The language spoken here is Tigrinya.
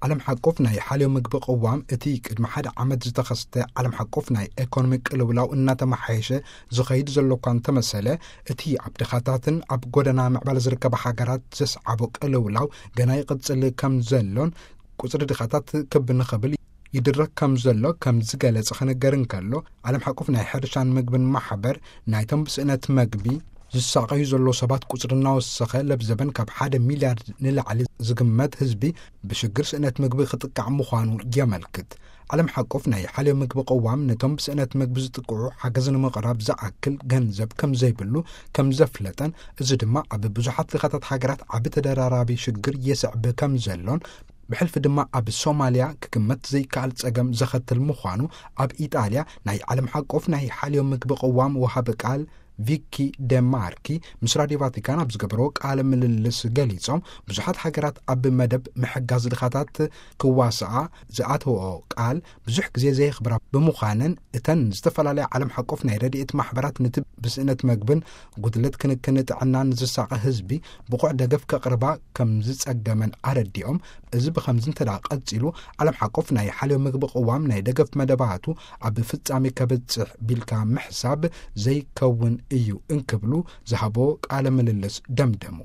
ዓለም ሓቆፍ ናይ ሓልዮ ምግቢ ቅዋም፣ እቲ ቅድሚ ሓደ ዓመት ዝተኸስተ ዓለም ሓቆፍ ናይ ኤኮኖሚ ቅልውላው እናተመሓየሸ ዝኸይድ ዘሎ እኳ እንተመሰለ፣ እቲ ኣብ ድኻታትን ኣብ ጎደና ምዕባለ ዝርከባ ሃገራት ዘስዓቦ ቅልውላው ገና ይቕጽል ከም ዘሎን፣ ቁጽሪ ድኻታት ክብ ንኽብል ይድረክ ከም ዘሎ ከም ዝገለጸ ክነገር እንከሎ፣ ዓለም ሓቆፍ ናይ ሕርሻን ምግብን ማሕበር፣ ናይቶም ብስእነት መግቢ ዝሳቐዩ ዘለዉ ሰባት ቁጽሪ እናወሰኸ ለብዘበን ካብ ሓደ ሚልያርድ ንላዕሊ ዝግመት ህዝቢ ብሽግር ስእነት ምግቢ ክጥቃዕ ምዃኑ የመልክት። ዓለም ሓቆፍ ናይ ሓልዮ ምግቢ ቅዋም፣ ነቶም ብስእነት ምግቢ ዝጥቅዑ ሓገዝ ንምቕራብ ዝኣክል ገንዘብ ከም ዘይብሉ ከም ዘፍለጠን፣ እዚ ድማ ኣብ ብዙሓት ድኻታት ሃገራት ዓቢ ተደራራቢ ሽግር የስዕብ ከም ዘሎን፣ ብሕልፊ ድማ ኣብ ሶማልያ ክግመት ዘይከኣል ጸገም ዘኸትል ምዃኑ፣ ኣብ ኢጣልያ ናይ ዓለም ሓቆፍ ናይ ሓልዮ ምግቢ ቅዋም ወሃቢ ቃል ቪኪ ደማርኪ ምስ ራድዮ ቫቲካን ኣብ ዝገበርዎ ቃለ ምልልስ ገሊጾም፣ ብዙሓት ሃገራት ኣብ መደብ ምሕጋዝ ድኻታት ክዋስኣ ዝኣተወኦ ቃል ብዙሕ ግዜ ዘየኽብራ ብምዃነን፣ እተን ዝተፈላለያ ዓለም ሓቆፍ ናይ ረድኤት ማሕበራት ነቲ ብስእነት መግብን ጉድለት ክንክን ጥዕናን ዝሳቐ ህዝቢ ብቑዕ ደገፍ ከቕርባ ከም ዝጸገመን ኣረዲኦም፣ እዚ ብኸምዚ እንተ ደኣ ቀጺሉ፣ ዓለም ሓቆፍ ናይ ሓልዮ ምግቢ ቅዋም ናይ ደገፍ መደባቱ ኣብ ፍጻሜ ከብጽሕ ቢልካ ምሕሳብ ዘይከውን እዩ እንክብሉ ዝሃቦ ቃለ ምልልስ ደምደሙ።